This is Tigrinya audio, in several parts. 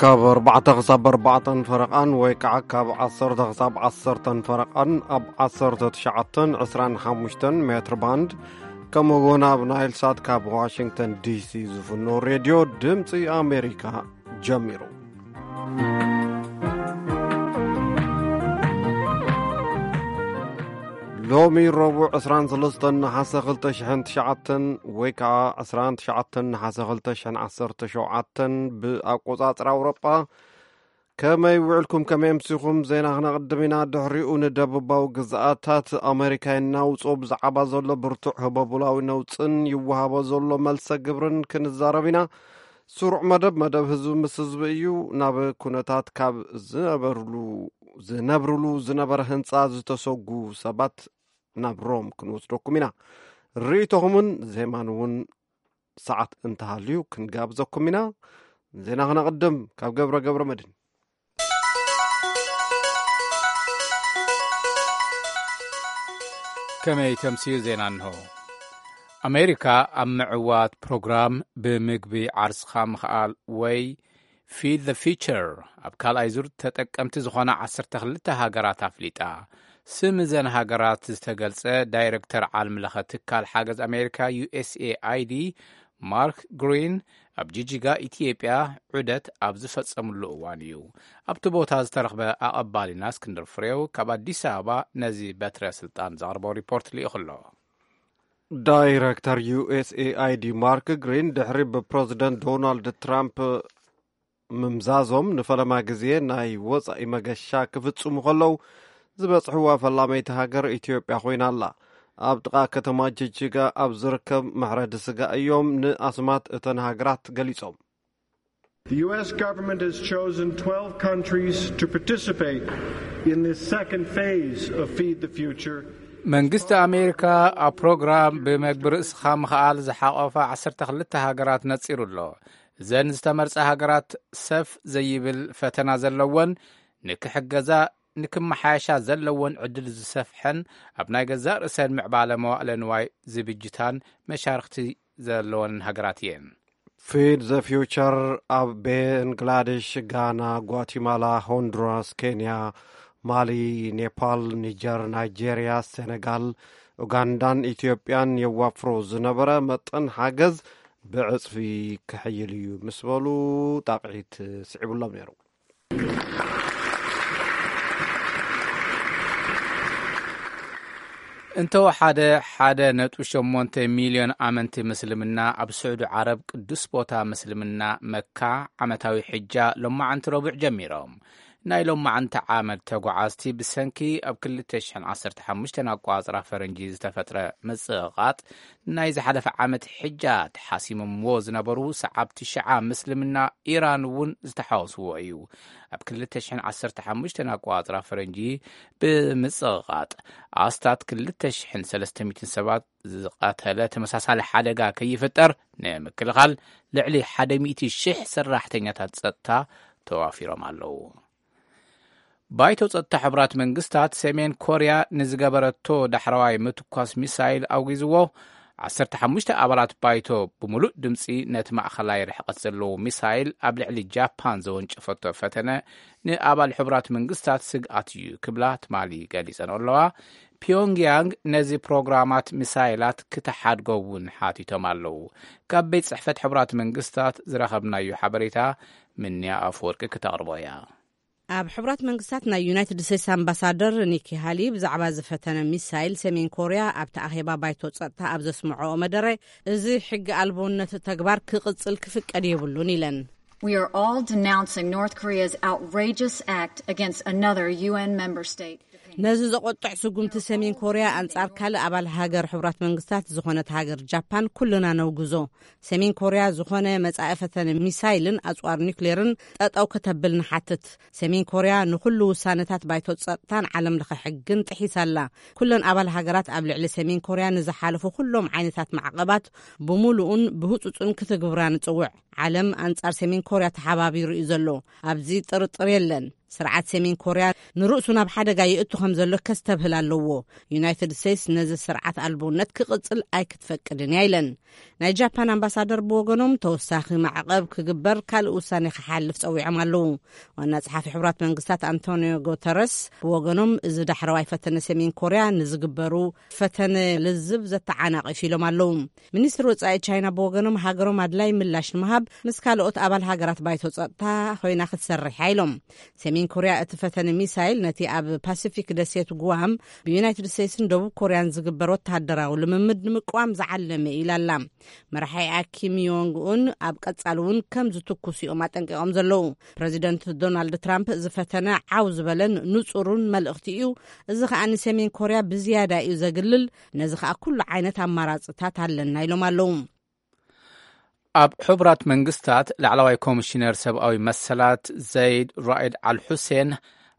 ካብ ኣርባዕተ ክሳብ ኣርባዕተን ፈረቓን ወይ ከዓ ካብ ዓሰርተ ክሳብ ዓሰርተን ፈረቓን ኣብ ዓሰርተ ትሽዓተን ዕስራን ሓሙሽተን ሜትር ባንድ፣ ከምኡ እውን ኣብ ናይል ሳት ካብ ዋሽንግተን ዲሲ ዝፍኖ ሬድዮ ድምፂ ኣሜሪካ ጀሚሩ። ሎሚ ረቡዕ ዕስራን ሰለስተን ነሓሰ ክልተ ሽሕን ትሽዓተን ወይ ከዓ ዕስራን ትሽዓተን ነሓሰ ክልተ ሽሕን ዓሰርተ ሸውዓተን ብኣቆጻጽራ ኣውሮጳ። ከመይ ውዕልኩም፣ ከመይ ኣምሲኹም? ዜና ክነቕድም ኢና። ድሕሪኡ ንደቡባዊ ግዝኣታት ኣሜሪካ የናውጾ። ብዛዕባ ዘሎ ብርቱዕ ህበቡላዊ ነውጽን ይወሃቦ ዘሎ መልሰ ግብርን ክንዛረብ ኢና። ስሩዕ መደብ፣ መደብ ህዝቢ ምስ ህዝቢ እዩ። ናብ ኩነታት ካብ ዝነበርሉ፣ ዝነብርሉ ዝነበረ ህንጻ ዝተሰጉ ሰባት ናብ ሮም ክንወስደኩም ኢና። ርእይቶኹምን ዜማን እውን ሰዓት እንተሃልዩ ክንጋብዘኩም ኢና። ዜና ክነቕድም ካብ ገብረ ገብረ መድህን። ከመይ ተምስዩ ዜና እንሆ። ኣሜሪካ ኣብ ምዕዋት ፕሮግራም ብምግቢ ዓርስኻ ምኽኣል ወይ ፊድ ዘ ፊቸር ኣብ ካልኣይ ዙር ተጠቀምቲ ዝኾና ዓሰርተ ክልተ ሃገራት ኣፍሊጣ። ስም እዘን ሃገራት ዝተገልጸ ዳይሬክተር ዓለም ለኸ ትካል ሓገዝ ኣሜሪካ ዩ ኤስ ኤ ኣይ ዲ ማርክ ግሪን ኣብ ጂጂጋ ኢትዮጵያ ዑደት ኣብ ዝፈጸምሉ እዋን እዩ። ኣብቲ ቦታ ዝተረኽበ ኣቐባሊና እስክንድር ፍሬው ካብ ኣዲስ ኣበባ ነዚ በትረ ስልጣን ዘቕርቦ ሪፖርት ልኢኹ ኣሎ። ዳይረክተር ዩ ኤስ ኤ ኣይ ዲ ማርክ ግሪን ድሕሪ ብፕረዚደንት ዶናልድ ትራምፕ ምምዛዞም ንፈለማ ግዜ ናይ ወጻኢ መገሻ ክፍጽሙ ከለዉ ዝበጽሕዋ ፈላመይቲ ሃገር ኢትዮጵያ ኮይና ኣላ። ኣብ ጥቓ ከተማ ጅጅጋ ኣብ ዝርከብ መሕረዲ ስጋ እዮም ንኣስማት እተን ሃገራት ገሊጾም። The U S government has chosen twelve countries to participate in this second phase of Feed the Future. መንግስቲ ኣሜሪካ ኣብ ፕሮግራም ብመግቢ ርእስኻ ምኽኣል ዝሓቖፋ ዓሰርተ ክልተ ሃገራት ነጺሩ ኣሎ። እዘን ዝተመርጻ ሃገራት ሰፍ ዘይብል ፈተና ዘለወን፣ ንክሕገዛ ንክመሓየሻ ዘለወን ዕድል ዝሰፍሐን ኣብ ናይ ገዛእ ርእሰን ምዕባለ መዋእለ ንዋይ ዝብጅታን መሻርኽቲ ዘለወን ሃገራት እየን። ፊድ ዘ ፊውቸር ኣብ ቤንግላዴሽ፣ ጋና፣ ጓቲማላ፣ ሆንዱራስ፣ ኬንያ፣ ማሊ፣ ኔፓል፣ ኒጀር፣ ናይጄርያ፣ ሴኔጋል፣ ኡጋንዳን ኢትዮጵያን የዋፍሮ ዝነበረ መጠን ሓገዝ ብዕጽፊ ክሕይል እዩ ምስ በሉ ጣቕዒት ስዒቡሎም ነይሩ። እንተወሓደ ሓደ ነጥቢ ሸሞንተ ሚልዮን ኣመንቲ ምስልምና ኣብ ስዑዲ ዓረብ ቅዱስ ቦታ ምስልምና መካ ዓመታዊ ሕጃ ሎማዓንቲ ረቡዕ ጀሚሮም። ናይ ሎማዓንቲ ዓመት ተጓዓዝቲ ብሰንኪ ኣብ ክልተ ሽሕን ዓሰርተ ሓሙሽተን ኣቋጽራ ፈረንጂ ዝተፈጥረ ምጽቕቓጥ ናይ ዝሓለፈ ዓመት ሕጃ ተሓሲሞምዎ ዝነበሩ ሰዓብቲ ሽዓ ምስልምና ኢራን እውን ዝተሓወስዎ እዩ። ኣብ ክልተ ሽሕን ዓሰርተ ሓሙሽተን ኣቋጽራ ፈረንጂ ብምጽቕቓጥ ኣስታት ክልተ ሽሕን ሰለስተ ሚእትን ሰባት ዝቐተለ ተመሳሳሊ ሓደጋ ከይፍጠር ንምክልኻል ልዕሊ ሓደ ሚእቲ ሽሕ ሰራሕተኛታት ጸጥታ ተዋፊሮም ኣለዉ። ባይቶ ጸጥታ ሕቡራት መንግስታት ሰሜን ኮርያ ንዝገበረቶ ዳሕረዋይ ምትኳስ ሚሳይል ኣውጊዝዎ። ዓሰርተ ሓሙሽተ ኣባላት ባይቶ ብምሉእ ድምጺ ነቲ ማእኸላይ ርሕቀት ዘለዎ ሚሳይል ኣብ ልዕሊ ጃፓን ዘወንጨፈቶ ፈተነ ንኣባል ሕቡራት መንግስታት ስግኣት እዩ ክብላ ትማሊ ገሊጸን ኣለዋ። ፒዮንግያንግ ነዚ ፕሮግራማት ሚሳይላት ክትሓድጎ እውን ሓቲቶም ኣለዉ። ካብ ቤት ጽሕፈት ሕቡራት መንግስታት ዝረኸብናዮ ሓበሬታ ምንያ ኣፈወርቂ ክተቕርቦ እያ። ኣብ ሕቡራት መንግስታት ናይ ዩናይትድ ስቴትስ ኣምባሳደር ኒኪ ሃሊ ብዛዕባ ዝፈተነ ሚሳይል ሰሜን ኮርያ ኣብቲ ኣኼባ ባይቶ ጸጥታ ኣብ ዘስምዖ መደረ፣ እዚ ሕጊ ኣልቦነት ተግባር ክቕጽል ክፍቀድ የብሉን ኢለን። We are all denouncing North Korea's outrageous act against another U N member state, Japan. ነዚ ዘቆጥዕ ስጉምቲ ሰሜን ኮርያ ኣንጻር ካልእ ኣባል ሃገር ሕቡራት መንግስታት ዝኾነት ሃገር ጃፓን ኩልና ነውግዞ። ሰሜን ኮርያ ዝኾነ መጻኢ ፈተነ ሚሳይልን ኣጽዋር ኒውክሌርን ጠጠው ከተብል ንሓትት። ሰሜን ኮርያ ንኹሉ ውሳነታት ባይቶ ጸጥታን ዓለም ለኸ ሕግን ጥሒሳ ኣላ። ኩለን ኣባል ሃገራት ኣብ ልዕሊ ሰሜን ኮርያ ንዝሓለፉ ኩሎም ዓይነታት ማዕቐባት ብምሉኡን ብህጹጹን ክትግብራ ንጽውዕ። ዓለም ኣንጻር ሰሜን ኮርያ ተሓባቢሩ እዩ ዘሎ። ኣብዚ ጥርጥር የለን። ስርዓት ሰሜን ኮርያ ንርእሱ ናብ ሓደጋ ይእቱ ከም ዘሎ ከስተብህል ኣለዎ። ዩናይትድ ስቴትስ ነዚ ስርዓት ኣልቦነት ክቕጽል ኣይክትፈቅድን እያ ኢለን። ናይ ጃፓን ኣምባሳደር ብወገኖም ተወሳኺ ማዕቐብ ክግበር ካልእ ውሳኔ ክሓልፍ ጸዊዖም ኣለዉ። ዋና ጸሓፊ ሕቡራት መንግስታት ኣንቶኒዮ ጉተረስ ብወገኖም እዚ ዳሕረዋይ ፈተነ ሰሜን ኮርያ ንዝግበሩ ፈተነ ልዝብ ዘተዓናቒፍ ኢሎም ኣለዉ። ሚኒስትር ወጻኢ ቻይና ብወገኖም ሃገሮም ኣድላይ ምላሽ ንምሃብ ምስ ካልኦት ኣባል ሃገራት ባይቶ ጸጥታ ኮይና ክትሰርሕ ኢሎም። ሰሜን ኮርያ እቲ ፈተነ ሚሳይል ነቲ ኣብ ፓሲፊክ ደሴት ጉዋም ብዩናይትድ ስቴትስን ደቡብ ኮርያን ዝግበር ወተሃደራዊ ልምምድ ንምቅዋም ዝዓለመ ኢላ ኣላ። መራሒኣ ኪም ዮንግ ኡን ኣብ ቀጻሊ እውን ከም ዝትኩስ እዮም ኣጠንቂቖም ዘለዉ። ፕረዚደንት ዶናልድ ትራምፕ ዝፈተነ ዓው ዝበለን ንጹሩን መልእኽቲ እዩ። እዚ ከኣ ንሰሜን ኮርያ ብዝያዳ እዩ ዘግልል። ነዚ ከኣ ኩሉ ዓይነት ኣማራጽታት ኣለና ኢሎም ኣለዉ። ኣብ ሕቡራት መንግስታት ላዕለዋይ ኮሚሽነር ሰብኣዊ መሰላት ዘይድ ራኢድ ኣል ሑሴን፣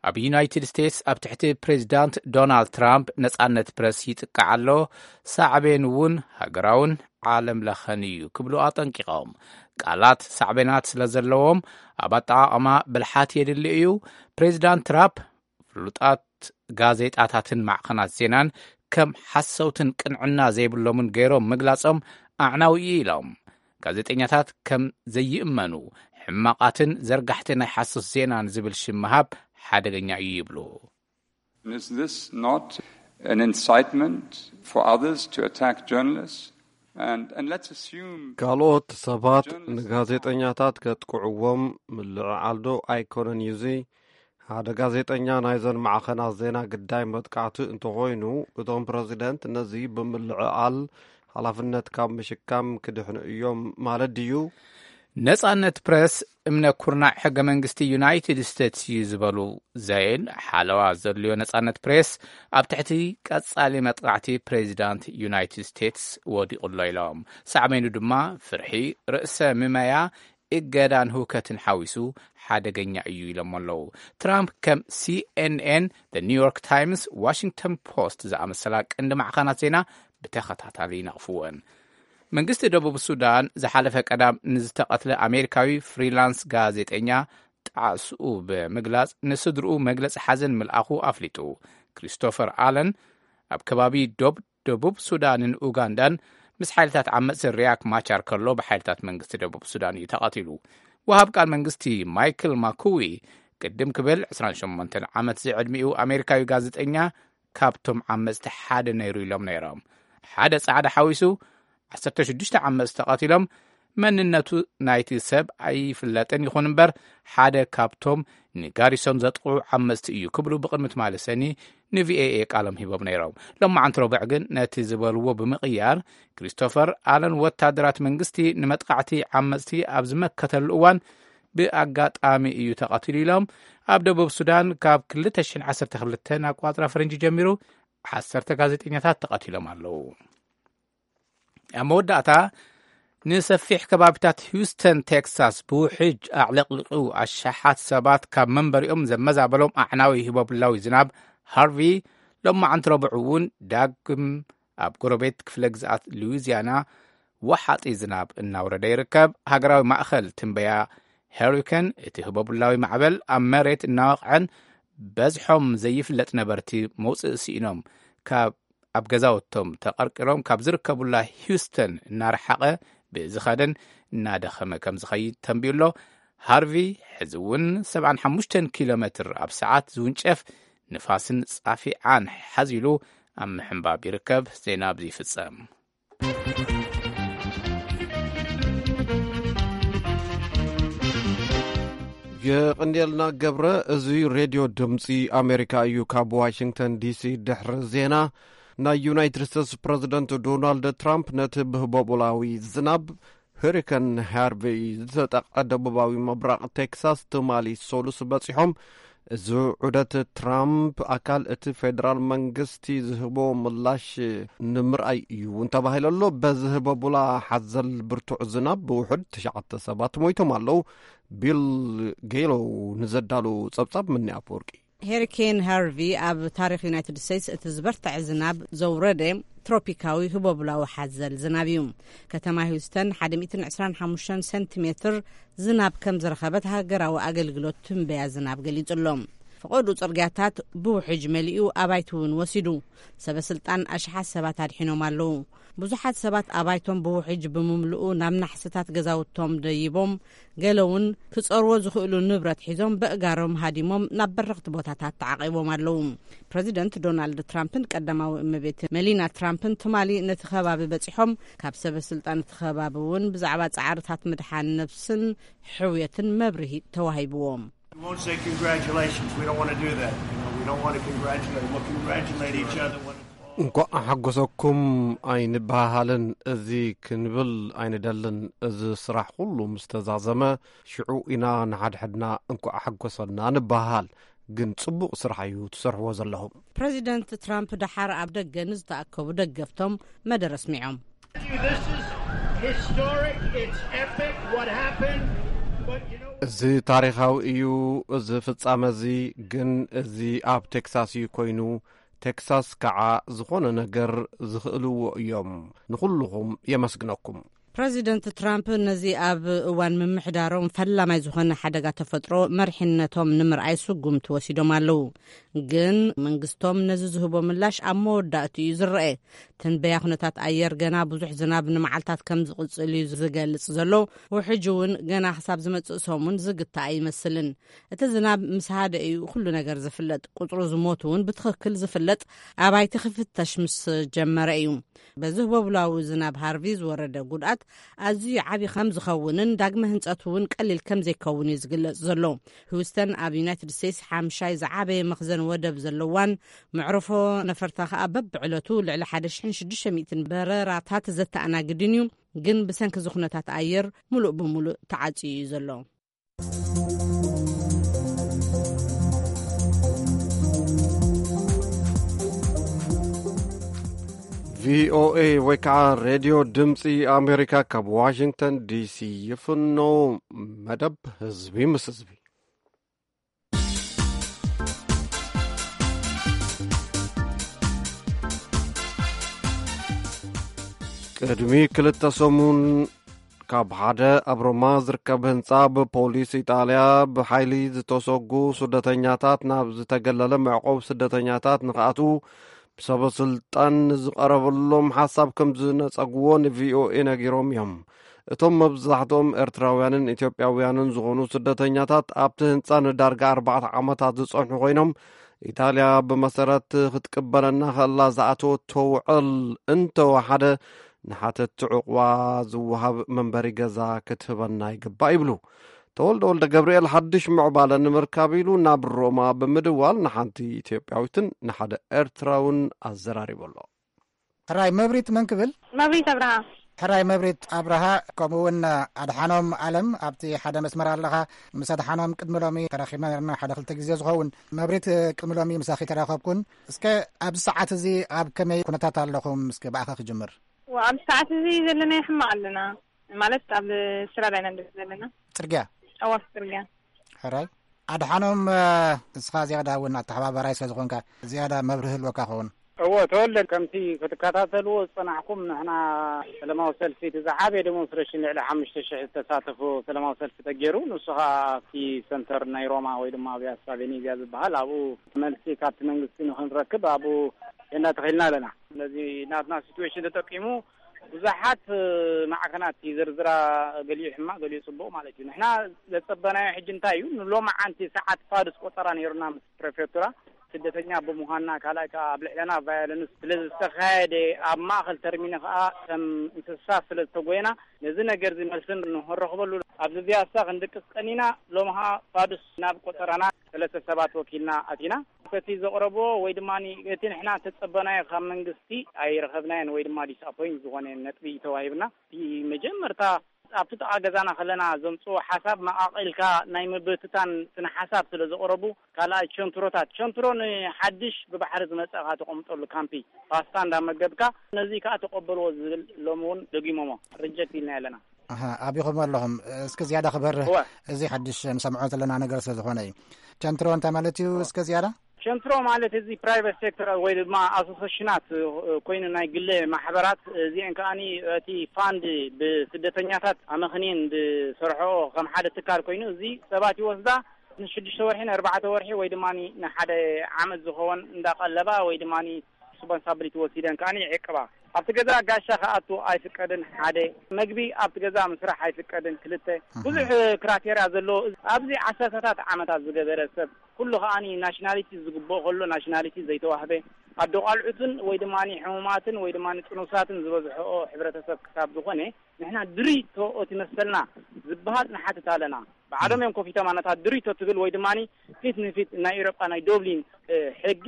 ኣብ ዩናይትድ ስቴትስ ኣብ ትሕቲ ፕሬዚዳንት ዶናልድ ትራምፕ ነጻነት ፕረስ ይጥቃዕ ኣሎ፣ ሳዕቤን እውን ሃገራውን ዓለም ለኸን እዩ ክብሉ ኣጠንቂቖም። ቃላት ሳዕቤናት ስለ ዘለዎም ኣብ ኣጠቓቕማ ብልሓት የድሊ እዩ። ፕሬዚዳንት ትራምፕ ፍሉጣት ጋዜጣታትን ማዕኸናት ዜናን ከም ሓሰውትን ቅንዕና ዘይብሎምን ገይሮም ምግላጾም ኣዕናዊ እዩ ኢሎም። ጋዜጠኛታት ከም ዘይእመኑ፣ ሕማቓትን ዘርጋሕቲ ናይ ሓሶት ዜናን ዝብል ሽም ምሃብ ሓደገኛ እዩ ይብሉ። Is this not an incitement for others to attack journalists? And, and let's assume ካልኦት ሰባት ንጋዜጠኛታት ከጥቅዕዎም ምልዕዓል ዶ ኣይኮነን እዩ እዚ? ሓደ ጋዜጠኛ ናይዘን ማዕኸናት ዜና ግዳይ መጥቃዕቲ እንተኾይኑ፣ እቶም ፕረዚደንት ነዚ ብምልዕዓል ሓላፍነት ካብ ምሽካም ክድሕኑ እዮም ማለት ድዩ? ነጻነት ፕረስ እምነ ኩርናዕ ሕገ መንግስቲ ዩናይትድ ስቴትስ እዩ ዝበሉ ዘይን፣ ሓለዋ ዘድልዮ ነጻነት ፕሬስ ኣብ ትሕቲ ቀጻሊ መጥቃዕቲ ፕሬዚዳንት ዩናይትድ ስቴትስ ወዲቑ ኣሎ ኢሎም። ሳዕቤኑ ድማ ፍርሒ፣ ርእሰ ምመያ፣ እገዳን ህውከትን ሓዊሱ ሓደገኛ እዩ ኢሎም ኣለዉ። ትራምፕ ከም ሲኤንኤን፣ ኒውዮርክ ታይምስ፣ ዋሽንግተን ፖስት ዝኣመሰላ ቀንዲ ማዕኸናት ዜና ብተኸታታሊ ይነቕፍወን። መንግስቲ ደቡብ ሱዳን ዝሓለፈ ቀዳም ንዝተቐትለ ኣሜሪካዊ ፍሪላንስ ጋዜጠኛ ጣዕስኡ ብምግላጽ ንስድርኡ መግለጺ ሓዘን ምልኣኹ ኣፍሊጡ። ክሪስቶፈር ኣለን ኣብ ከባቢ ዶብ ደቡብ ሱዳንን ኡጋንዳን ምስ ሓይልታት ዓመጽቲ ሪያክ ማቻር ከሎ ብሓይልታት መንግስቲ ደቡብ ሱዳን እዩ ተቐቲሉ። ወሃብ ቃል መንግስቲ ማይክል ማኩዊ ቅድም ክብል ዕስራን ሸሞንተን ዓመት ዝዕድሚኡ ኣሜሪካዊ ጋዜጠኛ ካብቶም ዓመጽቲ ሓደ ነይሩ ኢሎም ነይሮም። ሓደ ጻዕዳ ሓዊሱ ዓሰርተ ሽዱሽተ ዓመጽቲ ተቐቲሎም። መንነቱ ናይቲ ሰብ ኣይፍለጥን ይኹን እምበር ሓደ ካብቶም ንጋሪሶን ዘጥቕዑ ዓመጽቲ እዩ ክብሉ ብቕድሚ ትማሊ ሰኒ ንቪኦኤ ቃሎም ሂቦም ነይሮም። ሎማዓንቲ ረቡዕ ግን ነቲ ዝበልዎ ብምቕያር ክሪስቶፈር ኣለን ወታደራት መንግስቲ ንመጥቃዕቲ ዓመጽቲ ኣብ ዝመከተሉ እዋን ብኣጋጣሚ እዩ ተቐቲሉ ኢሎም። ኣብ ደቡብ ሱዳን ካብ ክልተ ሽሕን ዓሰርተ ክልተን ኣቋጽራ ፈረንጂ ጀሚሩ ዓሰርተ ጋዜጠኛታት ተቐቲሎም ኣለዉ። ኣብ መወዳእታ ንሰፊሕ ከባቢታት ሂውስተን ቴክሳስ ብውሕጅ ኣዕለቕሊቑ ኣሻሓት ሰባት ካብ መንበሪኦም ዘመዛበሎም ኣዕናዊ ህቦብላዊ ዝናብ ሃርቪ ሎማዓንቲ ረቡዕ እውን ዳግም ኣብ ጎረቤት ክፍለ ግዝኣት ሉዊዚያና ወሓጢ ዝናብ እናውረደ ይርከብ። ሃገራዊ ማእኸል ትንበያ ሄሪከን እቲ ህቦብላዊ ማዕበል ኣብ መሬት እናወቕዐን በዝሖም ዘይፍለጥ ነበርቲ መውፅኢ ስኢኖም ካብ ኣብ ገዛውቶም ተቐርቂሮም ካብ ዝርከቡላ ሂውስተን እናረሓቐ ብዝኸደን እናደኸመ ከም ዝኸይድ ተንቢዩ ኣሎ። ሃርቪ ሕዚ እውን ሰብዓን ሓሙሽተን ኪሎ ሜትር ኣብ ሰዓት ዝውንጨፍ ንፋስን ጻፊዓን ሓዚሉ ኣብ ምሕንባብ ይርከብ። ዜና ኣብዚ ይፍጸም። የቕንየልና ገብረ። እዚ ሬድዮ ድምፂ ኣሜሪካ እዩ። ካብ ዋሽንግተን ዲሲ ድሕሪ ዜና ናይ ዩናይትድ ስቴትስ ፕረዚደንት ዶናልድ ትራምፕ ነቲ ብህቦቡላዊ ዝናብ ሄሪከን ሃርቬይ ዝተጠቕዐ ደቡባዊ ምብራቕ ቴክሳስ ትማሊ ሰሉስ በፂሖም። እዚ ዑደት ትራምፕ ኣካል እቲ ፌደራል መንግስቲ ዝህቦ ምላሽ ንምርኣይ እዩ እውን ተባሂሉ ኣሎ። በዚ ህቦቡላ ሓዘል ብርቱዕ ዝናብ ብውሑድ ትሽዓተ ሰባት ሞይቶም ኣለዉ። ቢል ጌሎ ንዘዳሉ ጸብጻብ ምኒ ኣፈወርቂ። ሄሪኬን ሃርቪ ኣብ ታሪኽ ዩናይትድ ስቴትስ እቲ ዝበርትዐ ዝናብ ዘውረደ ትሮፒካዊ ህቦብላዊ ሓዘል ዝናብ እዩ። ከተማ ሂውስተን ሓደ ሚእትን ዕስራን ሓሙሽተን ሰንቲሜትር ዝናብ ከም ዝረኸበት ሃገራዊ ኣገልግሎት ትንበያ ዝናብ ገሊጹ ኣሎ። ፈቐዱ ጽርግያታት ብውሕጅ መሊኡ፣ ኣባይቲ እውን ወሲዱ። ሰበ ስልጣን ኣሽሓት ሰባት ኣድሒኖም ኣለዉ። ብዙሓት ሰባት ኣባይቶም ብውሕጅ ብምምልኡ ናብ ናሕስታት ገዛውቶም ደይቦም፣ ገለ እውን ክጸርዎ ዝኽእሉ ንብረት ሒዞም በእጋሮም ሃዲሞም ናብ በረኽቲ ቦታታት ተዓቒቦም ኣለዉ። ፕረዚደንት ዶናልድ ትራምፕን ቀዳማዊ እመቤት መሊና ትራምፕን ትማሊ ነቲ ከባቢ በጺሖም፣ ካብ ሰበ ስልጣን እቲ ከባቢ እውን ብዛዕባ ጻዕርታት ምድሓን ነብስን ሕውየትን መብርሂ ተዋሂብዎም። We won't say congratulations. We don't want to do that. You know, we don't want to congratulate. We'll congratulate each other when it's all. እንኳዕ ሓጎሰኩም ኣይንበሃሃልን፣ እዚ ክንብል ኣይንደልን። እዚ ስራሕ ኩሉ ምስ ተዛዘመ፣ ሽዑ ኢና ንሓድሕድና እንኳዕ ሓጎሰና ንበሃሃል። ግን ጽቡቕ ስራሕ እዩ ትሰርሕዎ ዘለኹም። ፕረዚደንት ትራምፕ ደሓር ኣብ ደገ ንዝተኣከቡ ደገፍቶም መደረ ኣስሚዖም። This is historic. It's epic what happened. But you know what? እዚ ታሪኻዊ እዩ፣ እዚ ፍጻመ እዚ። ግን እዚ ኣብ ቴክሳስ እዩ ኮይኑ። ቴክሳስ ከዓ ዝኾነ ነገር ዝኽእልዎ እዮም። ንኹልኹም የመስግነኩም። ፕረዚደንት ትራምፕ ነዚ ኣብ እዋን ምምሕዳሮም ፈላማይ ዝኾነ ሓደጋ ተፈጥሮ መርሒነቶም ንምርኣይ ስጉምቲ ወሲዶም ኣለዉ። ግን መንግስቶም ነዚ ዝህቦ ምላሽ ኣብ መወዳእቱ እዩ ዝረአ። ትንበያ ኩነታት ኣየር ገና ብዙሕ ዝናብ ንመዓልታት ከም ዝቕጽል እዩ ዝገልጽ ዘሎ። ውሕጅ እውን ገና ክሳብ ዝመጽእ ሰሙን ዝግታእ ኣይመስልን። እቲ ዝናብ ምስ ሃደ እዩ ኩሉ ነገር ዝፍለጥ። ቁጽሩ ዝሞቱ እውን ብትኽክል ዝፍለጥ ኣባይቲ ክፍተሽ ምስ ጀመረ እዩ። በዚ ህቦብላዊ ዝናብ ሃርቪ ዝወረደ ጉድኣት ኣዝዩ ዓቢ ከም ዝኸውንን ዳግመ ህንጸቱ እውን ቀሊል ከም ዘይከውን እዩ ዝግለጽ ዘሎ። ሂውስተን ኣብ ዩናይትድ ስቴትስ ሓምሻይ ዝዓበየ መኽዘን ወደብ ዘለዋን መዕረፎ ነፈርታ ከኣ በብዕለቱ ልዕሊ ሓደ ሽሕን ሽዱሽተ ሚእትን በረራታት ዘተኣናግድን እዩ። ግን ብሰንኪ እዚ ኩነታት ኣየር ሙሉእ ብሙሉእ ተዓጽዩ እዩ ዘሎ። ቪኦኤ ወይ ከዓ ሬድዮ ድምፂ ኣሜሪካ ካብ ዋሽንግተን ዲሲ ይፍኖ። መደብ ህዝቢ ምስ ህዝቢ። ቅድሚ ክልተ ሰሙን ካብ ሓደ ኣብ ሮማ ዝርከብ ህንጻ ብፖሊስ ኢጣልያ ብሓይሊ ዝተሰጉ ስደተኛታት ናብ ዝተገለለ መዕቆብ ስደተኛታት ንኽኣትዉ ብሰበ ስልጣን ንዝቐረበሎም ሓሳብ ከም ዝነጸግዎ ንቪኦኤ ነጊሮም እዮም። እቶም መብዛሕትኦም ኤርትራውያንን ኢትዮጵያውያንን ዝኾኑ ስደተኛታት ኣብቲ ህንጻ ንዳርጋ ኣርባዕተ ዓመታት ዝጸንሑ ኮይኖም፣ ኢጣልያ ብመሰረት ክትቅበለና ከላ ዝኣተወቶ ውዕል እንተወሓደ፣ ንሓተትቲ ዕቑባ ዝወሃብ መንበሪ ገዛ ክትህበና ይግባእ ይብሉ። ተወልደ ወልደ ገብርኤል ሓድሽ ምዕባለ ንምርካብ ኢሉ ናብ ሮማ ብምድዋል ንሓንቲ ኢትዮጵያዊትን ንሓደ ኤርትራውን ኣዘራሪቡ ኣሎ። ሕራይ መብሪት መን ክብል? መብሪት ኣብርሃ። ሕራይ መብሪት ኣብርሃ፣ ከምኡ እውን ኣድሓኖም ኣለም ኣብቲ ሓደ መስመር ኣለኻ። ምስ ኣድሓኖም ቅድሚ ሎሚ ተራኺብና ነርና ሓደ ክልተ ግዜ ዝኸውን። መብሪት፣ ቅድሚ ሎሚ ምሳኺ ተራኸብኩን። እስከ ኣብዚ ሰዓት እዚ ኣብ ከመይ ኩነታት ኣለኹም? እስከ ብኣኻ ክጅምር። ዋ፣ ኣብዚ ሰዓት እዚ ዘለና ሕማቕ ኣለና። ማለት ኣብ ስራ ዳይና ንድረስ ዘለና። ጽርግያ? ኣዋስ ጽርግያ። ሕራይ ኣድሓኖም፣ እስኻ ዝያዳ እውን ኣተሓባባራይ ስለ ዝኾንካ ዝያዳ መብርሂ ህልወካ ኸውን። እዎ፣ ተወልደ፣ ከምቲ ክትከታተልዎ ዝጸናሕኩም፣ ንሕና ሰላማዊ ሰልፊ፣ እቲ ዝዓበየ ዴሞንስትሬሽን፣ ልዕሊ ሓሙሽተ ሽሕ ዝተሳተፎ ሰላማዊ ሰልፊ ተገይሩ፣ ንሱ ኸኣ ኣብቲ ሰንተር ናይ ሮማ ወይ ድማ ፒያሳ ቬኔዚያ ዝበሃል፣ ኣብኡ መልሲ ካብቲ መንግስቲ ንኽንረክብ ኣብኡ ቴንዳ ተኺልና ኣለና። ስለዚ ናትና ሲትዌሽን ተጠቂሙ ብዙሓት ማዕከናት ይዝርዝራ፣ ገሊኡ ሕማቕ፣ ገሊኡ ጽቡቕ ማለት እዩ። ንሕና ዘጸበናዮ ሕጂ እንታይ እዩ? ንሎማዓንቲ ሰዓት ፋዱስ ቆጸራ ነይሩና ምስ ፕሬፌክቱራ። ስደተኛ ብምዃንና፣ ካልኣይ ከኣ ኣብ ልዕለና ቫዮለንስ ስለ ዝተኻየደ፣ ኣብ ማእከል ተርሚን ከኣ ከም እንስሳ ስለ ዝተጎየና፣ ነዚ ነገር እዚ መልሲ ንኽንረኽበሉ ኣብዚ ፒያሳ ክንድቅስ ቀኒና። ሎሚ ከኣ ፋዱስ ናብ ቆጸራና ሰለስተ ሰባት ወኪልና ኣቲና። እቲ ዘቕረብዎ ወይ ድማ እቲ ንሕና እተጸበናዮ ካብ መንግስቲ ኣይረኸብናዮን ወይ ድማ ዲስኣፖይንት ዝኾነ ነጥቢ እዩ ተዋሂብና። እቲ መጀመርታ ኣብቲ ጥቓ ገዛና ከለና ዘምጽዎ ሓሳብ መቓቒልካ ናይ ምብትታን ስነ ሓሳብ ስለ ዘቕረቡ፣ ካልኣይ ቸንትሮታት፣ ቸንትሮ ንሓድሽ ብባሕሪ ዝመጸእካ ተቐምጠሉ ካምፒ ፓስታ እንዳመገብካ ነዚ ከኣ ተቐበልዎ ዝብል ሎሚ እውን ደጊሞሞ ሪጀክት ኢልና ኣለና። ኣሃ፣ ኣቢኹም ኣለኹም። እስኪ ዝያዳ ክበርህ፣ እወ። እዚ ሓድሽ ንሰምዖ ዘለና ነገር ስለ ዝኾነ እዩ። ቸንትሮ እንታይ ማለት እዩ? እስከ ዝያዳ ሸንትሮ ማለት እዚ ፕራይቨት ሴክተር ወይ ድማ ኣሶሴሽናት ኮይኑ፣ ናይ ግለ ማሕበራት እዚአን ከኣኒ እቲ ፋንድ ብስደተኛታት ኣመኽንየን ዝሰርሖ ከም ሓደ ትካል ኮይኑ፣ እዚ ሰባት ይወስዳ ንሽዱሽተ ወርሒ፣ ንኣርባዕተ ወርሒ ወይ ድማ ንሓደ ዓመት ዝኸውን እንዳቐለባ ወይ ድማ ሪስፖንሳብሊቲ ወሲደን ከኣ ይዕቅባ። ኣብቲ ገዛ ጋሻ ክኣቱ ኣይፍቀድን፣ ሓደ። መግቢ ኣብቲ ገዛ ምስራሕ ኣይፍቀድን፣ ክልተ። ብዙሕ ክራቴርያ ዘለዎ ኣብዚ ዓሰርተታት ዓመታት ዝገበረ ሰብ ኩሉ ከኣ ናሽናሊቲ ዝግብኦ ከሎ ናሽናሊቲ ዘይተዋህበ፣ ኣዶ ቃልዑትን ወይ ድማ ሕሙማትን ወይ ድማ ጥኑሳትን ዝበዝሖኦ ሕብረተሰብ ክሳብ ዝኾነ፣ ንሕና ድሪቶ እቲ መሰልና ዝበሃል ንሓትት ኣለና። ባዕሎም እዮም ከፊቶም ኣነታት ድሪቶ ትብል ወይ ድማ ፊት ንፊት ናይ ኤውሮጳ ናይ ዶብሊን ሕጊ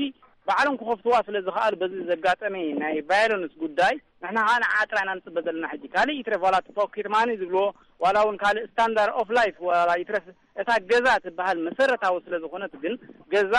ባዕሎም ክኸፍትዋ ስለ ዝኸኣሉ፣ በዚ ዘጋጠመ ናይ ቫዮለንስ ጉዳይ ንሕና ከዓ ንዓጥራ ኢና ንፅበ ዘለና። ሕጂ ካልእ ይትረፍ ዋላ እቲ ፖኬት ማኒ ዝብልዎ ዋላ እውን ካልእ ስታንዳርድ ኦፍ ላይፍ ዋላ ይትረፍ እታ ገዛ ትበሃል መሰረታዊ ስለ ዝኾነት፣ ግን ገዛ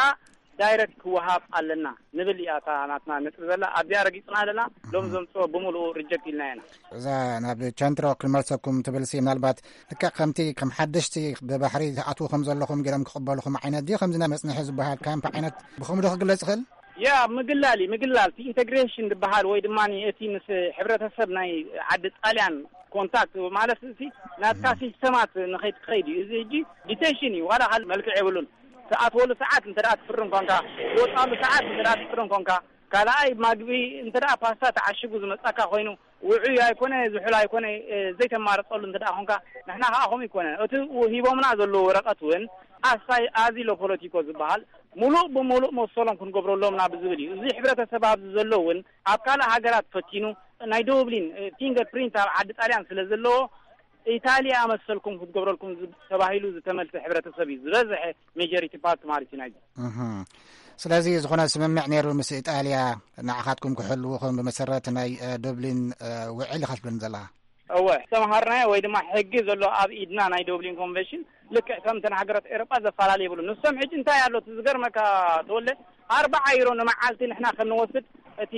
ዳይረክት ክወሃብ ኣለና ንብል እያ እታ ናትና ነጥቢ ዘላ። ኣብዚኣ ረጊፅና ኣለና። ሎም ዘምፅኦ ብምልኡ ሪጀክት ኢልና ኢና። እዛ ናብ ቸንትሮ ክንመልሰኩም ትብል ሲ ምናልባት ልክዕ ከምቲ ከም ሓደሽቲ ብባሕሪ ትኣትዉ ከም ዘለኹም ገይሮም ክቕበልኹም ዓይነት ድዩ ከምዚ ናይ መፅንሒ ዝበሃል ካምፕ ዓይነት ብኸምኡ ዶ ክግለጽ ይኽእል? ያ ምግላል እዩ፣ ምግላል። እቲ ኢንተግሬሽን ዝበሃል ወይ ድማ እቲ ምስ ሕብረተሰብ ናይ ዓዲ ጣልያን ኮንታክት ማለት እዚ ናትካ ሲስተማት ንኸይትኸይድ እዩ። እዚ ሕጂ ዲቴንሽን እዩ፣ ዋላ ካልእ መልክዕ የብሉን። ትኣትወሉ ሰዓት እንተ ደኣ ትፍርም ኮንካ፣ ትወጻሉ ሰዓት እንተ ደኣ ትፍርም ኮንካ፣ ካልኣይ ማግቢ እንተ ደኣ ፓስታ ተዓሽጉ ዝመጻካ ኮይኑ ውዑይ ኣይኮነ ዝሑል ኣይኮነ ዘይተማርጸሉ እንተ ደኣ ኮንካ፣ ንሕና ከኣ ከምኡ ይኮነ። እቲ ሂቦምና ዘለዉ ወረቐት እውን ኣሳይ ኣዚሎ ፖለቲኮ ዝበሃል ምሉእ ብምሉእ መሰሎም ክንገብረሎም ኢና ብዝብል እዩ። እዚ ሕብረተሰብ ኣብዚ ዘሎ እውን ኣብ ካልእ ሃገራት ፈቲኑ ናይ ዶብሊን ፊንገር ፕሪንት ኣብ ዓዲ ጣልያን ስለ ዘለዎ ኢታልያ መሰልኩም ክትገብረልኩም ተባሂሉ ዝተመልሰ ሕብረተሰብ እዩ ዝበዝሐ ሜጆሪቲ ፓርት ማለት እዩ ናይዚ። ስለዚ ዝኾነ ስምምዕ ነይሩ ምስ ኢጣልያ ንዓኻትኩም ክሕልውኹም ብመሰረት ናይ ዶብሊን ውዕል ኢኻ ትብለኒ ዘለኻ? እወ ዝተምሃርናዮ ወይ ድማ ሕጊ ዘሎ ኣብ ኢድና ናይ ዶብሊን ኮንቨንሽን ልክዕ ከም እተን ሃገራት ኤሮጳ ዘፈላለ የብሉ። ንሶም ሕጂ እንታይ ኣሎ እቲ ዝገርመካ ተወለ ኣርባዓ ዩሮ ንመዓልቲ ንሕና ከም ንወስድ እቲ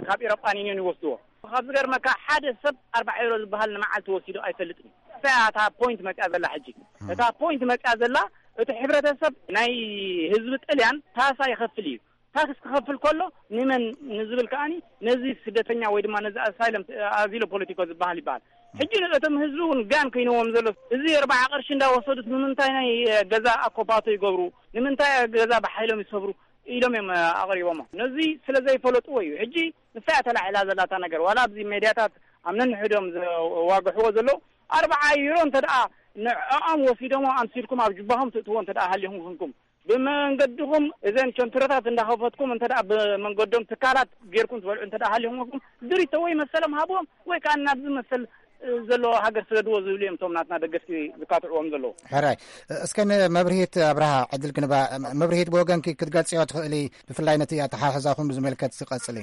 ካብ ኤሮጳን ዩኒዮን ይወስድዎ። ካብ ዝገርመካ ሓደ ሰብ ኣርባዓ ዩሮ ዝበሃል ንመዓልቲ ወሲዱ ኣይፈልጥን። እታ እታ ፖይንት መጽያ ዘላ ሕጂ እታ ፖይንት መጽያ ዘላ እቲ ሕብረተሰብ ናይ ህዝቢ ጥልያን ታሳ ይኸፍል እዩ። ታክስ ክኸፍል ከሎ ንመን ንዝብል ከኣኒ ነዚ ስደተኛ ወይ ድማ ነዚ ኣሳይለም ኣዚሎ ፖለቲኮ ዝበሃል ይበሃል። ሕጂ ንእቶም ህዝቢ እውን ጋን ኮይንዎም ዘሎ እዚ ኣርባዓ ቅርሺ እንዳወሰዱት ንምንታይ ናይ ገዛ ኣኮፓቶ ይገብሩ? ንምንታይ ገዛ ብሓይሎም ይሰብሩ? ኢሎም እዮም ኣቕሪቦሞ። ነዚ ስለ ዘይፈለጥዎ እዩ። ሕጂ ንሳ እያ ተላዒላ ዘላታ ነገር ዋላ ኣብዚ ሜድያታት ኣብ ነንሕዶም ዘዋግሕዎ ዘለዉ ኣርባዓ ዩሮ እንተ ደኣ ንዕኦም ወሲዶሞ ኣምሲልኩም ኣብ ጅባኹም ትእትዎ እንተ ደኣ ሃሊኹም ኩንኩም ብመንገድኹም እዘን ቸንትሮታት እንዳኸፈትኩም እንተ ደኣ ብመንገዶም ትካላት ጌርኩም ትበልዑ እንተ ደኣ ሃሊኹም ኩንኩም ድሪቶ ወይ መሰሎም ሃብዎም ወይ ከዓ ናብዚ መሰል ዘለዎ ሃገር ስደድዎ ዝብሉ እዮም እቶም ናትና ደገፍቲ ዝካትዕዎም ዘለዉ። ሕራይ እስከ ንመብርሂት ኣብርሃ ዕድል ክንባ። መብርሂት ብወገንኪ ክትገልፅዮ ትኽእሊ ብፍላይ ነቲ ኣተሓሕዛኹም ብዝመልከት ዝቐፅሊ?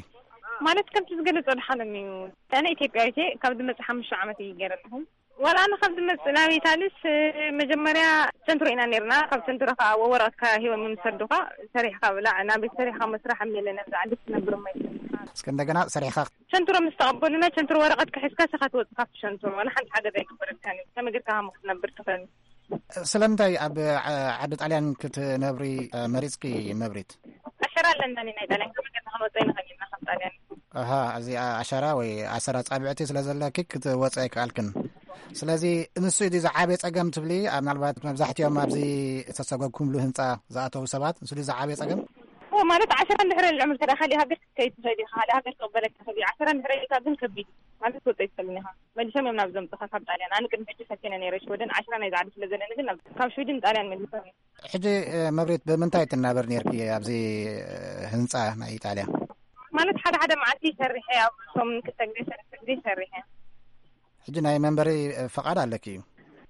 ማለት ከምቲ ዝገለጸ ድሓነኒ እዩ። ኣነ ኢትዮጵያዊት እየ። ካብ ዝመጽእ ሓሙሽተ ዓመት እዩ ገይረ ኣለኹ። ዋላ ኣነ ካብ ዝመጽእ ናብ ኢታሊስ መጀመርያ ቸንትሮ ኢና ነርና። ካብ ቸንትሮ ከዓ ወረቐትካ ሂቦም ንሰዱኻ ሰሪሕካ ብላዕ ናብ ቤት ሰሪሕካ መስራሕ ኣሜለ ነብዛ ዓዲ ክትነብር እሞ ይሰሪሕካ። እስከ እንደገና ሰሪሕካ ቸንትሮ ምስ ተቐበሉና ቸንትሮ ወረቐትካ ሒዝካ ስኻ ትወጽእ ካብቲ ሸንትሮ ዋላ ሓንቲ ሓገዝ ኣይግበረልካን እዩ። ከመይ ጌርካ ሃሞ ክትነብር ትኽእል? ስለምንታይ ኣብ ዓዲ ጣልያን ክትነብሪ መሪጽኪ መብሪት? ኣሸራ ኣለና ናይ ጣልያን ከመይ ጌርና ክንወጽእ ንኽእል ኢና ካብ ጣልያን? ኣሃ፣ እዚ ኣሸራ ወይ ኣሰራ ጻብዕቲ ስለ ዘለኪ ክትወጽእ ኣይከኣልክን። ስለዚ ንሱ እዩ ዝዓበየ ጸገም ትብሊ? ኣብ ምናልባት መብዛሕትኦም ኣብዚ ዝተሰጎግኩምሉ ህንጻ ዝኣተዉ ሰባት ንሱ ድዩ ዝዓበየ ጸገም? ኦ፣ ማለት ዓሸራ እንድሕር ልዕምር ከዳ ካልእ ሃገር ክትከይድ ትኽእል ኢኻ፣ ካልእ ሃገር ክቕበለካ ይኽእል እዩ። ዓሸራ እንድሕር ኢልካ ግን ከቢድ እዩ። ማለት ክትወጽእ ኣይትኽእልን ኢኻ። መሊሶም እዮም ናብ ዘምጽኻ ካብ ጣልያን። ኣነ ቅድሚ ሕጂ ፈቲነ ነይረ ሽወደን፣ ዓሸራ ናይ ዝዓዲ ስለ ዘለኒ ግን ናብ፣ ካብ ሽወደን ጣልያን መሊሶም እዮም። ሕጂ፣ እ፣ መብሬት ብምንታይ ትናበር ነይርኪ ኣብዚ፣ እ፣ ህንጻ ናይ ኢጣልያ? ማለት ሓደ ሓደ መዓልቲ ሰሪሐ ኣብ ሰሙን ክልተ ግዜ ሰለስተ ግዜ ሰሪሐ። ሕጂ ናይ መንበሪ፣ እ፣ ፈቓድ ኣለኪ እዩ?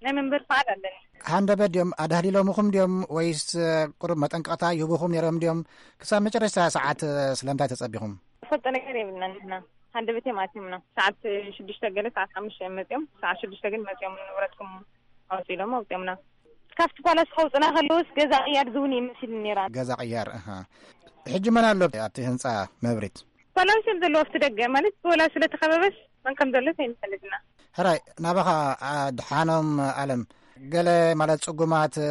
ናይ መንበሪ ፈቓድ ኣለኒ። ሃንደበት ድዮም ኣዳህሊሎምኹም ድዮም ወይስ፣ እ፣ ቁሩብ መጠንቀቕታ ይህቡኹም ነይሮም ድዮም? ክሳብ መጨረሽታ ሰዓት፣ እ፣ ስለምንታይ ተጸቢኹም? ዝፈልጦ ነገር የብልናን ንሕና። ሃንደበት እዮም ኣትዮምና። ሰዓት ሽዱሽተ ገለ ሰዓት ሓሙሽተ እዮም መጺኦም። ሰዓት ሽዱሽተ ግን መጺኦም ንብረትኩም ኣውጽኡ ኢሎም ኣውጺኦምና። ካብቲ ፓላስ ከውጽና ከለውስ ገዛ ቅያር ዝውን እዩ መሲሉ ነይራ። ገዛ ቅያር፣ ኣሃ። ሕጂ መን ኣሎ ኣብቲ ህንጻ መብሪት? ፓላስ እዮም ዘለዎ ኣብቲ ደገ፣ ማለት ብወላ ስለ ተኸበበስ መን ከም ዘሎ ኣይንፈልጥና። ሕራይ፣ ናባኻ ኣድሓኖም ኣለም፣ ገለ ማለት ጽጉማት፣ እ፣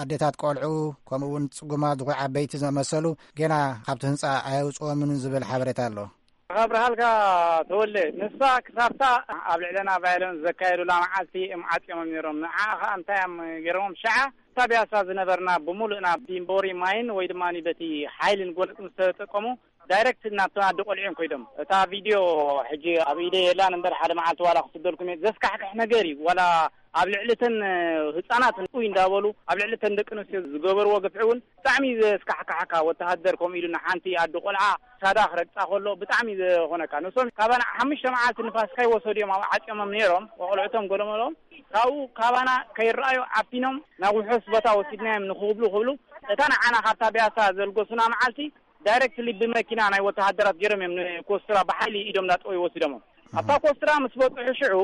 ኣዴታት ቆልዑ፣ ከምኡ እውን ጽጉማት ዝኾኑ ዓበይቲ ዝመሰሉ ገና ካብቲ ህንጻ ኣየውጽኦምን ዝብል ሓበሬታ ኣሎ። ካብ ረሃልካ ተወለ፣ ንሳ ክሳብታ ኣብ ልዕለና ቫዮለንስ ዘካየዱላ መዓልቲ እዮም ዓጽዮምም ነይሮም። ንዓ ኸኣ እንታይ እዮም ገይሮምም? ሸዓ እታ ቢያሳ ዝነበርና ብምሉእና ቢምቦሪ ማይን ወይ ድማ በቲ ሓይልን ጎነጽ ምስ ተጠቀሙ፣ ዳይሬክት ናብቶም ኣደ ቆልዑ እዮም ከይዶም። እታ ቪድዮ ሕጂ ኣብ ኢደይ የላን እምበር፣ ሓደ መዓልቲ ዋላ ክስደልኩም እየ። ዘስካሕክሕ ነገር እዩ። ዋላ ኣብ ልዕሊ እተን ህጻናት ኡይ እንዳበሉ ኣብ ልዕሊ እተን ደቂ ኣንስትዮ ዝገበርዎ ግፍዒ እውን ብጣዕሚ ዘስካሕክሓካ። ወተሃደር ከምኡ ኢሉ ንሓንቲ ኣደ ቆልዓ ሳዳ ክረግጻ ከሎ ብጣዕሚ ዝኾነካ። ንሶም ካባና ሓሙሽተ መዓልቲ ንፋስ ከይወሰዱ እዮም ኣብ ዓጽዮሞም ነይሮም። ቆልዑቶም ገለመሎም ካብኡ ካባና ከይረኣዩ ዓፊኖም ናብ ውሑስ ቦታ ወሲድናዮም ንክብሉ ክብሉ፣ እታ ንዓና ካብታ ቢያሳ ዘልገሱና መዓልቲ ዳይሬክትሊ ብመኪና ናይ ወተሃደራት ገይሮም እዮም ንኮስትራ ብሓይሊ ኢዶም እንዳጠወዩ ወሲዶሞም። ኣብታ ኮስትራ ምስ በጽሑ ሽዑ፣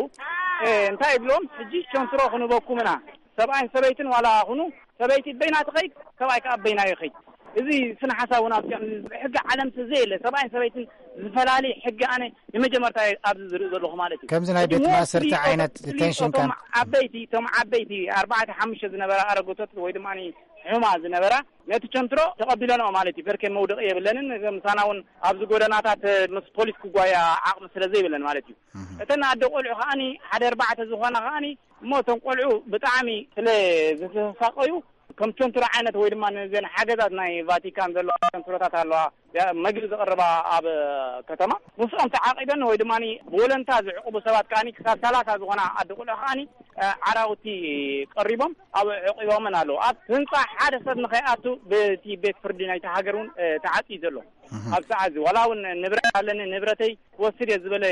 እ፣ እንታይ ይብሎም? ሕጂ ቸንትሮ ክንበኩም ኢና። ሰብኣይን ሰበይትን ዋላ ኩኑ፣ ሰበይቲ በይና ትኸይድ፣ ሰብኣይ ከኣ በይና ይኸይድ። እዚ ስነ ሓሳብ እውን ኣብዚኦም ሕጊ ዓለም ዘየለ፣ ሰብኣይን ሰበይትን ዝፈላሊ ሕጊ ኣነ ንመጀመርታ ኣብዚ ዝርኢ ዘለኹ ማለት እዩ። ከምዚ ናይ እቲ ቤት ድማ ማእሰርቲ ፍልይ ዓይነት እቶም፣ ፍልይ ዲቴንሽን እቶም ካምፕ። ዓበይቲ፣ እቶም ዓበይቲ ኣርባዕተ ሓሙሽተ ዝነበራ ኣረገቶት ወይ ድማ ሕሙማ ዝነበራ ነቲ ቸንትሮ ተቐቢለንኦ ማለት እዩ። በርከ መውደቂ የብለንን። ምሳና እውን ኣብዚ ጎደናታት ምስ ፖሊስ ክጓያ ዓቕሚ ስለ ዘይብለን ማለት እዩ። እተን ኣደ ቆልዑ ከኣኒ ሓደ ኣርባዕተ ዝኾና ከኣኒ እሞ እቶም ቆልዑ ብጣዕሚ ስለ ዝተሳቀዩ ከም ቸንትሮ ዓይነት ወይ ድማ ነዘን ሓገዛት ናይ ቫቲካን ዘለዋ ቸንትሮታት ኣለዋ። ያ መግቢ ዝቕርባ ኣብ ከተማ ምስኦም ተዓቒበን ወይ ድማ ብወለንታ ዝዕቕቡ ሰባት ከኣኒ ክሳብ ሰላሳ ዝኾና ኣደ ቆልዑ ከኣኒ ዓራውቲ ቀሪቦም ኣብ ዕቂቦምን ኣለዉ። ኣብ ህንጻ ሓደ ሰብ ንኸይኣቱ በቲ ቤት ፍርዲ ናይቲ ሃገር እውን ተዓጽዩ ዘሎ። ኣብ ሰዓት እዚ ዋላ እውን ንብረት ኣለኒ ንብረተይ ክወስድ እየ ዝበለ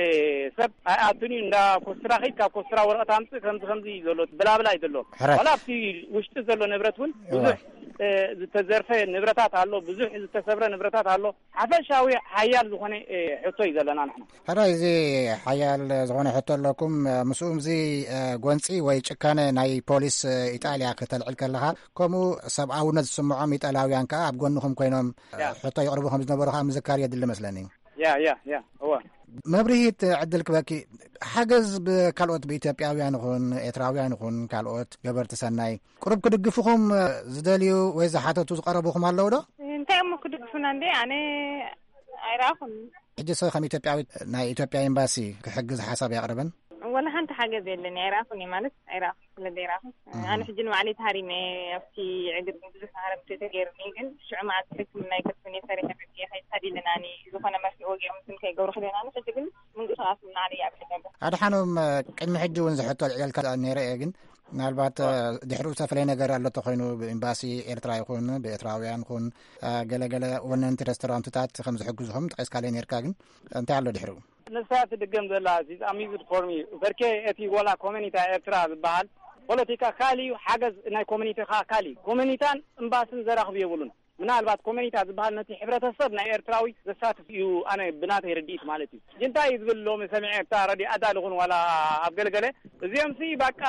ሰብ ኣይኣቱን እዩ። እንዳ ኮስትራ ኸይድ ካብ ኮስትራ ወረቐት ኣምጽእ ከምዚ ከምዚ እዩ ዘሎ ብላብላ እዩ ዘሎ። ሕራይ። ዋላ ኣብቲ ውሽጢ ዘሎ ንብረት እውን ብዙሕ ዝተዘርፈ ንብረታት ኣሎ፣ ብዙሕ ዝተሰብረ ንብረታት ኣሎ። ሓፈሻዊ ሓያል ዝኾነ ሕቶ እዩ ዘለና ንሕና። ሕራይ፣ እዚ ሓያል ዝኾነ ሕቶ ኣለኩም። ምስኡም እዚ ጎንፂ ወይ ጭካነ ናይ ፖሊስ ኢጣልያ ከተልዕል ከለኻ፣ ከምኡ ሰብኣውነት ዝስምዖም ኢጣልያውያን ከኣ ኣብ ጎንኹም ኮይኖም ሕቶ ይቕርቡ ከም ዝነበሩ ከኣ ምዝካር የድሊ መስለኒ። ያ ያ ያ እወ። መብርሂት ዕድል ክበኪ፣ ሓገዝ ብካልኦት ብኢትዮጵያውያን ይኹን ኤርትራውያን ይኹን ካልኦት ገበርቲ ሰናይ ቁሩብ ክድግፉኹም ዝደልዩ ወይ ዝሓተቱ ዝቐረቡኹም ኣለዉ ዶ? እንታይ እሞ ክድግፉና እንዴ? ኣነ ኣይረኣኹን። ሕጂ ሰ ከም ኢትዮጵያዊት ናይ ኢትዮጵያ ኤምባሲ ክሕግዝ ሓሳብ ያቕርብን? ወላ ሓንቲ ሓገዝ የለን፣ ኣይረኣኹን እየ ማለት ኣይረኣኹን፣ ስለ ዘይረኣኹን። ኣነ ሕጂ ንባዕለይ ተሃሪመ ኣብቲ ዕግርግር ብዙሕ ተሃረምቲ ተገይሩኒ፣ ግን ሽዑ መዓልቲ ሕክምና ይከፍቱን እየ ሰሪሐ መፅየ ከይሳዲለናኒ ዝኾነ መፍትሒ ወጊኦም ስም ከይገብሩ ክደናኒ ሕጂ ግን ምንቅስቃስ እናዓለ እየ ኣብለ ዘሎ። ኣድሓኖም ቅድሚ ሕጂ እውን ዝሕቶ ልዕልካ ነይረ እየ፣ ግን ምናልባት ድሕሪኡ ዝተፈለየ ነገር ኣሎ ተኮይኑ ብኤምባሲ ኤርትራ ይኹን ብኤርትራውያን ይኹን ገለገለ ወነንቲ ሬስቶራንትታት ከም ዝሕግዝኹም ጠቂስካለይ ነርካ፣ ግን እንታይ ኣሎ ድሕሪኡ? ንሳ ትድገም ዘላ ሲዝ ኣሚዝድ ፎር ሚ በርኬ እቲ ወላ ኮሚኒታ ኤርትራ ዝበሃል ፖለቲካ ካሊ እዩ፣ ሓገዝ ናይ ኮሚኒቲ ከዓ ካሊ ኮሚኒታን እምባስን ዘራኽብ የብሉን። ምናልባት ኮሚኒታ ዝበሃል ነቲ ሕብረተሰብ ናይ ኤርትራዊ ዘሳትፍ እዩ። ኣነ ብናተይ ርድኢት ማለት እዩ። እንታይ እዩ ዝብል ሎሚ ሰሚዐ ኣብታ ረድዮ ኣዳል ይኹን ዋላ ኣብ ገለገለ እዚኦም ሲ በቃ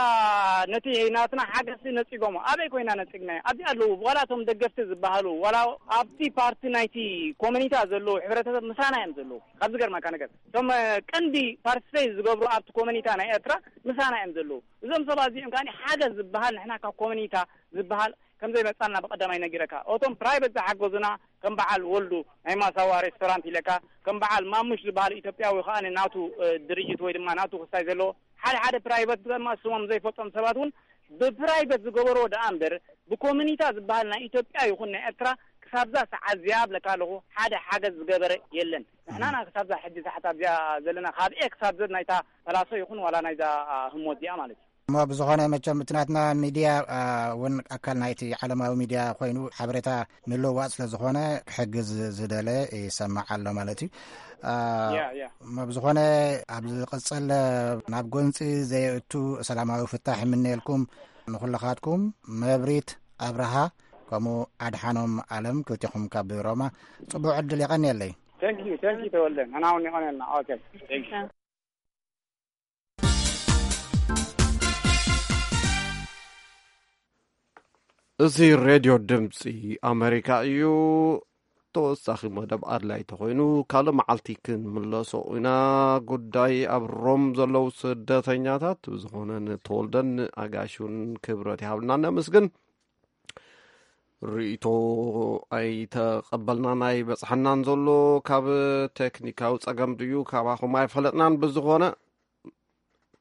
ነቲ ናትና ሓገዝ ነፂጎሞ ኣበይ ኮይና ነፂግናዮ ኣብዚ ኣለዉ ዋላ እቶም ደገፍቲ ዝበሃሉ ዋላ ኣብቲ ፓርቲ ናይቲ ኮሚኒታ ዘለዉ ሕብረተሰብ ምሳና እዮም ዘለዉ። ካብ ዝገርመካ ነገር እቶም ቀንዲ ፓርቲስፔት ዝገብሩ ኣብቲ ኮሚኒታ ናይ ኤርትራ ምሳና እዮም ዘለዉ። እዞም ሰባት እዚኦም ከዓ ሓገዝ ዝበሃል ንሕና ካብ ኮሚኒታ ዝበሃል ከም ዘይመፃና ብቀዳማይ ነጊረካ። እቶም ፕራይቨት ዝሓገዙና ከም በዓል ወልዱ ናይ ማሳዋ ሬስቶራንት ኢለካ ከም በዓል ማሙሽ ዝበሃል ኢትዮጵያዊ ከዓ ናቱ ድርጅት ወይ ድማ ናቱ ክስታይ ዘለዎ ሓደ ሓደ ፕራይቨት ድማ ስሞም ዘይፈልጦም ሰባት እውን ብፕራይቨት ዝገበርዎ ደኣ እምበር ብኮሚኒታ ዝበሃል ናይ ኢትዮጵያ ይኹን ናይ ኤርትራ ክሳብዛ ሰዓት እዚኣ ብለካ ኣለኹ ሓደ ሓገዝ ዝገበረ የለን። ንሕናና ክሳብዛ ሕጂ ሰዓት ኣብዚኣ ዘለና ካብ ኤ ክሳብ ዘድ ናይታ ፓላሶ ይኹን ዋላ ናይዛ ህሞት እዚኣ ማለት እዩ። እሞ ብዝኾነ መቸም እቲ ናትና ሚድያ እውን ኣካል ናይቲ ዓለማዊ ሚድያ ኮይኑ ሓበሬታ ምልውዋጥ ስለ ዝኾነ ክሕግዝ ዝደለ ይሰማዕ ኣሎ ማለት እዩ። እሞ ብዝኾነ ኣብ ዝቕፅል ናብ ጎንፂ ዘየእቱ ሰላማዊ ፍታሕ ይምነየልኩም። ንኹልኻትኩም መብሪት ኣብርሃ ከምኡ ኣድሓኖም ኣለም ክልቲኹም ካብ ሮማ ፅቡቅ ዕድል የቐንየለይ። Thank you, thank you ተወልደ። ንሕና እውን የቐንየልና። Okay, thank you. እዚ ሬድዮ ድምፂ ኣሜሪካ እዩ። ተወሳኺ መደብ ኣድላይ ተኾይኑ ካልእ መዓልቲ ክንምለሶ ኢና። ጉዳይ ኣብ ሮም ዘለዉ ስደተኛታት ብዝኾነ ንተወልደን ኣጋሹን ክብረት ይሃብልና ነመስግን። ርእይቶ ኣይተቐበልናን ኣይበጽሐናን ዘሎ ካብ ቴክኒካዊ ጸገም ድዩ ካባኹም ኣይፈለጥናን። ብዝኾነ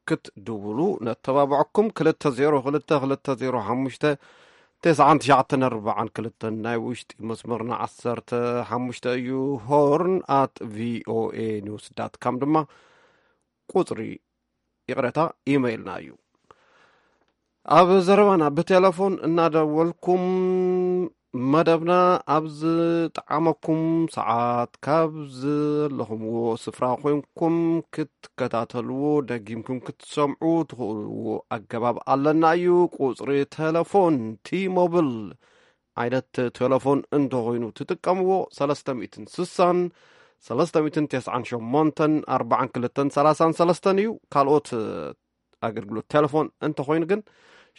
ክትድውሉ ነተባብዐኩም። ክልተ ዜሮ ክልተ ክልተ ዜሮ ሓሙሽተ ተስዓን ትሽዓተን ኣርባዓን ክልተን ናይ ውሽጢ መስመርና ዓሰርተ ሓሙሽተ እዩ። ሆርን ኣት ቪኦኤ ኒውስ ዳት ካም ድማ ቁጽሪ፣ ይቕረታ፣ ኢመይልና እዩ። ኣብ ዘረባና ብቴሌፎን እናደወልኩም መደብና ኣብ ዝጠዓመኩም ሰዓት ካብ ዘለኹምዎ ስፍራ ኮይንኩም ክትከታተልዎ፣ ደጊምኩም ክትሰምዑ ትኽእልዎ ኣገባብ ኣለና እዩ። ቁጽሪ ቴሌፎን ቲ ሞብል ዓይነት ቴሌፎን እንተኾይኑ ትጥቀምዎ፣ ሰለስተ ሚእትን ስሳን ሰለስተ ሚእትን ተስዓን ሸሞንተን ኣርባዓን ክልተን ሰላሳን ሰለስተን እዩ። ካልኦት ኣገልግሎት ቴሌፎን እንተኾይኑ ግን፣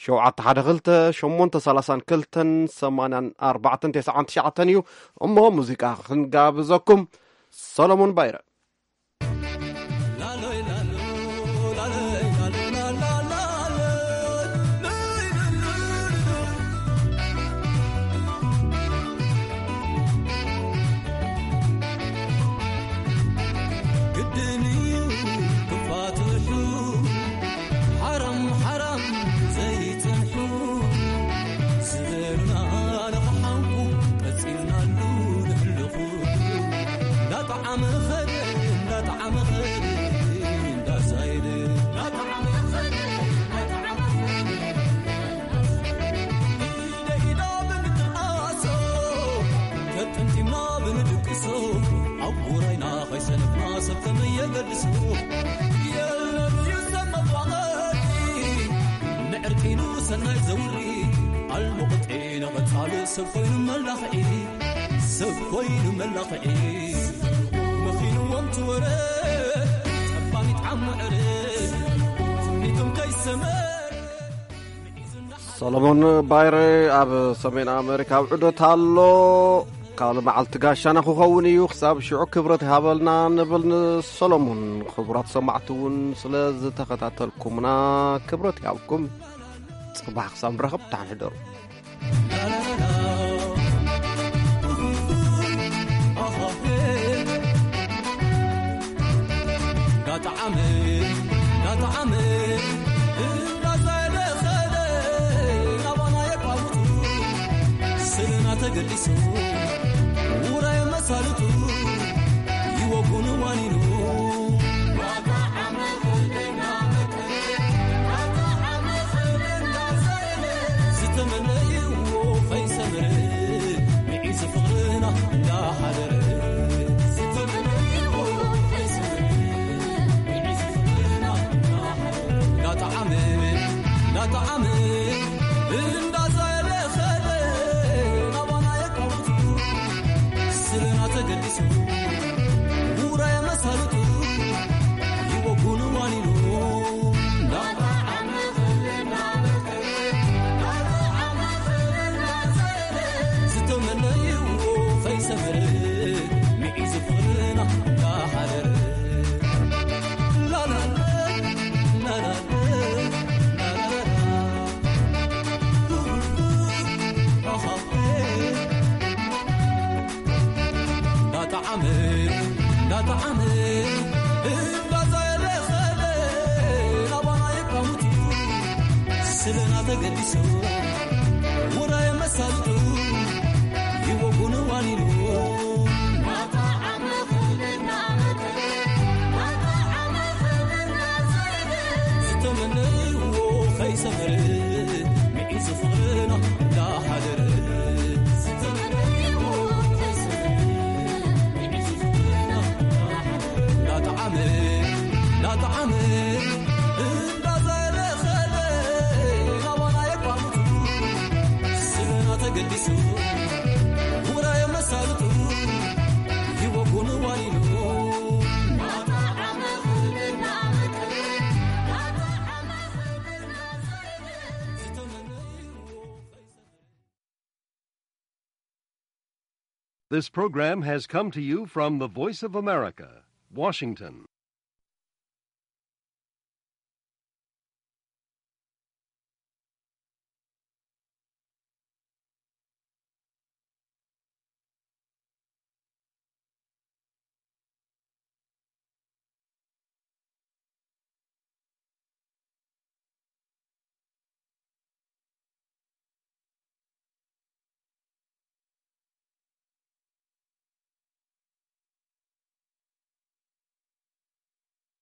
ሸውዓተ ሓደ ክልተ ሸሞንተ ሰላሳን ክልተን ሰማንያን ኣርባዕተን ተስዓን ትሽዓተን እዩ። እሞ ሙዚቃ ክንጋብዘኩም፣ ሰሎሞን ባይረ። ግድን እዩ ክፋትሑ፣ ሓራም ሓራም ዘይጸንሑ፣ ዝበሉና ንኽሓንኩ ቀጺልናሉ ንሕልኹ። እንዳጠዓመ ኸደ፣ እንዳጠዓመ ኸደ፣ እንዳዛየደ፣ እንዳጠዓመ ኸደ፣ እንዳጠዓመ ኸደ። ኢደ ኢዳ ብንትንኣሶ፣ ተጠምጢምና ብንድቅሶ፣ ኣብ ውራይና ከይሰነፍና ሰብ ከመይ የገድሶ። የለን እዩ ሰብ መፋቐሪ፣ ንዕርቂኑ ሰናይ ዘውሪ፣ ኣልሙቕጢ ንቐጻሊ ሰብ ኮይኑ መላኽዒ፣ ሰብ ኮይኑ መላኽዒ። መኺንዎም ትወረ፣ ጸባሚት ዓመ ዕረ፣ ትምኒቶም ከይሰመረ። ሰሎሞን ባይረ ኣብ ሰሜን ኣሜሪካ ኣብ ዑደት ኣሎ። ካልእ መዓልቲ ጋሻና ክኸውን እዩ። ክሳብ ሽዑ ክብረት ይሃበልና ንብል ንሰሎሞን። ክቡራት ሰማዕቲ እውን ስለ ዝተኸታተልኩምና ክብረት ይሃብኩም። ጽባሕ ክሳብ ንራኸብ፣ ደሓን ሕደሩ። እንዳጠዓመ፣ እንዳጠዓመ፣ እንዳዘለኸለ፣ ናባና የቋውቱ፣ ስልና ተገዲሱ፣ ውራይ መሳልቱ፣ ይወጉን ዋኒኑ። እንዳጠዓመ፣ እንዳመቀረ፣ እንዳጠዓመ፣ እንዳዘለ፣ ዝተመነይዎ ከይሰመረ፣ ምዒዝ ፍቕርና እንዳሓደረ። እንዳጠዓመ፣ እንዳጠዓመ፣ እንዳዛየለ ኸደ፣ ናባና የቋውቱ። ስልና ተገዲሱ፣ ውራይ መሳልጡ፣ ይወጉን ዋኒኑ። ዝተመነይዎ ከይሰመረ፣ ምዒዝ ፍቕርና እንዳሓደረ። ላላ፣ ላላ፣ ላላ፣ ላላ። እንዳጠዓመ፣ እንዳጠዓመ፣ እንዳዛየለ ኸደ፣ ናባና የቋውቱ። ስልና ተገዲሱ፣ ውራይ መሳልጡ፣ ይወጉን ዋኒኑ። ዝተመነይዎ ከይሰመረ፣ ምዒዝ ፍቕርና እንዳሓደረ። እንዳጠዓመ፣ እንዳጠዓመ፣ እንዳዘለኸለ፣ ናባና የቋምቱ። ስልና ተገዲሱ፣ ውራይ መሳልጡ፣ ይወጉን ዋኒኑ። This program has come to you from the Voice of America, Washington.